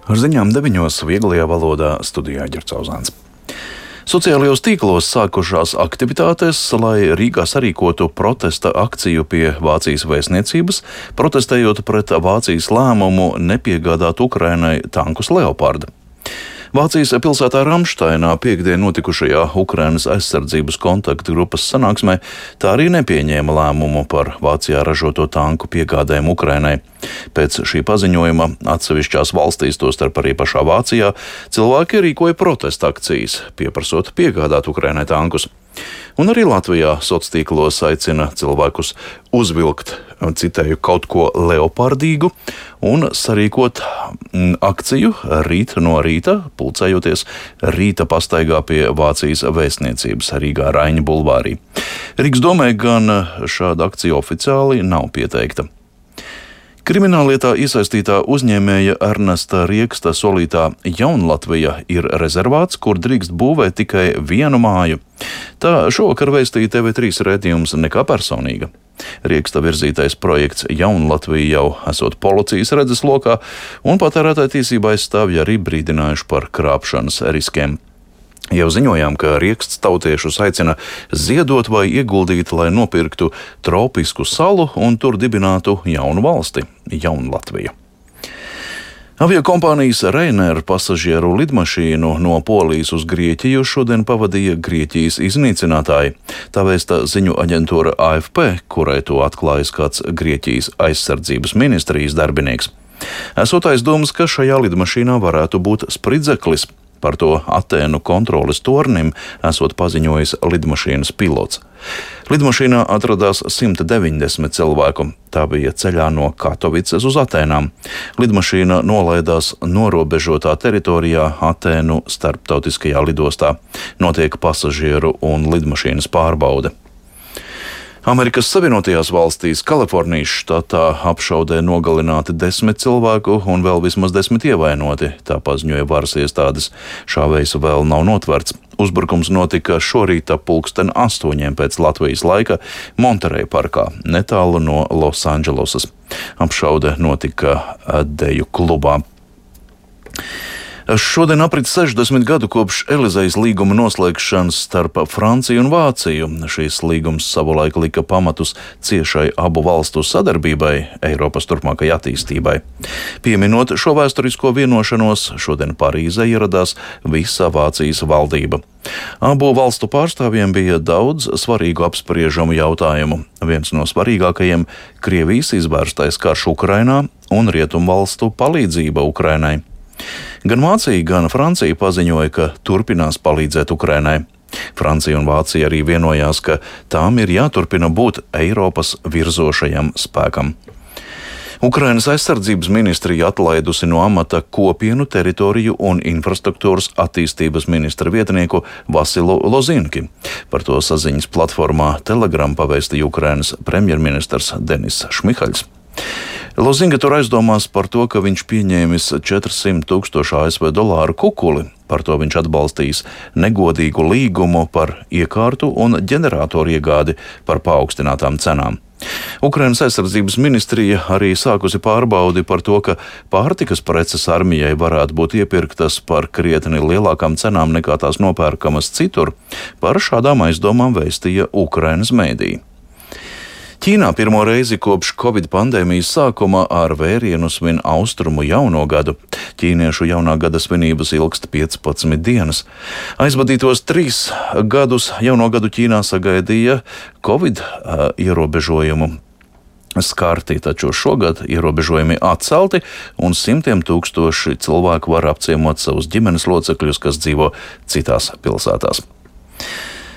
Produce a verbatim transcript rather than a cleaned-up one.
Ar ziņām deviņos vieglajā valodā studijā Ģercauzāns. Sociālajos tīklos sākušās aktivitātes, lai Rīgā sarīkotu protesta akciju pie Vācijas vēstniecības, protestējot pret Vācijas lēmumu nepiegādāt Ukrainai tankus Leoparda. Vācijas pilsētā Ramšteinā piekdien notikušajā Ukrainas aizsardzības kontaktu grupas sanāksmē tā arī nepieņēma lēmumu par Vācijā ražoto tanku piegādēm Ukrainai. Pēc šī paziņojuma atsevišķās valstīs, tostarp arī pašā Vācijā, cilvēki rīkoja protesta akcijas, pieprasot piegādāt Ukrainai tankus. Un arī Latvijā sociālos tīklos aicina cilvēkus uzvilkt, citēju, kaut ko leopardīgu un sarīkot akciju rīt no rīta, pulcējoties rīta pastaigā pie Vācijas vēstniecības Rīgā Raiņa bulvārī. Rīgas domē gan šāda akcija oficiāli nav pieteikta. Krimināllietā iesaistītā uzņēmēja Ernesta Rieksta solītā Jaunlatvija ir rezervāts, kur drīkst būvēt tikai vienu māju. Tā šovakar vēstīja T V trīs raidījums Nekā personīga. Rieksta virzītais projekts Jaunlatvija jau esot policijas redzeslokā, un patērētāju tiesību aizstāvji arī brīdinājuši par krāpšanas riskiem. Jau ziņojām, ka Rieksts tautiešus aicina ziedot vai ieguldīt, lai nopirktu tropisku salu un tur dibinātu jaunu valsti - Jaunlatviju. Aviokompānijas Ryanair pasažieru lidmašīnu no Polijas uz Grieķiju šodien pavadīja Grieķijas iznīcinātāji. Tā vēsta ziņu aģentūra A F P, kurai to atklājis kāds Grieķijas aizsardzības ministrijas darbinieks. Esot aizdomas, ka šajā lidmašīnā varētu būt spridzeklis. Par to Atēnu kontroles tornim esot paziņojis lidmašīnas pilots. Lidmašīnā atradās simt deviņdesmit cilvēku. Tā bija ceļā no Katovicas uz Atēnām. Lidmašīna nolaidās norobežotā teritorijā Atēnu starptautiskajā lidostā. Notiek pasažieru un lidmašīnas pārbaude. Amerikas Savienotajās valstīs Kalifornijas štatā apšaudē nogalināti desmit cilvēku un vēl vismaz desmit ievainoti, tā paziņoja varas iestādes. Šāvējs vēl nav notverts. Uzbrukums notika šorīt ap pulksten astoņiem pēc Latvijas laika Monterey parkā, netālu no Losandželosas. Apšaude notika deju klubā. Šodien aprit sešdesmit gadu kopš Elizejas līguma noslēgšanas starp Franciju un Vāciju. Šīs līgums savulaik lika pamatus ciešai abu valstu sadarbībai, Eiropas turpmākai attīstībai. Pieminot šo vēsturisko vienošanos, šodien Parīzē ieradās visa Vācijas valdība. Abu valstu pārstāvjiem bija daudz svarīgu apspriežamu jautājumu. Viens no svarīgākajiem - Krievijas izvērstais karš Ukrainā un rietumvalstu palīdzība Ukrainai. Gan Vācija, gan Francija paziņoja, ka turpinās palīdzēt Ukrainai. Francija un Vācija arī vienojās, ka tām ir jāturpina būt Eiropas virzošajam spēkam. Ukrainas aizsardzības ministrija atlaidusi no amata kopienu, teritoriju un infrastruktūras attīstības ministra vietnieku Vasilu Lozinki. Par to saziņas platformā Telegram pavēstīja Ukrainas premjerministrs Denis Šmihaļs. Lozinga tur aizdomās par to, ka viņš pieņēmis četrsimt tūkstošu A S V dolāru kukuli. Par to viņš atbalstījis negodīgu līgumu par iekārtu un ģeneratoru iegādi par paaugstinātām cenām. Ukrainas aizsardzības ministrija arī sākusi pārbaudi par to, ka pārtikas preces armijai varētu būt iepirktas par krietni lielākām cenām nekā tās nopērkamas citur. Par šādām aizdomām vēstīja Ukrainas mēdī. Ķīnā pirmo reizi kopš Covid pandēmijas sākuma ar vērienu svin austrumu jauno gadu. Ķīniešu jaunā gada svinības ilgst piecpadsmit dienas. Aizvadītos trīs gadus jauno gadu Ķīnā sagaidīja Covid uh, ierobežojumu skarti, taču šogad ierobežojumi atcelti un simtiem tūkstoši cilvēku var apciemot savus ģimenes locekļus, kas dzīvo citās pilsētās.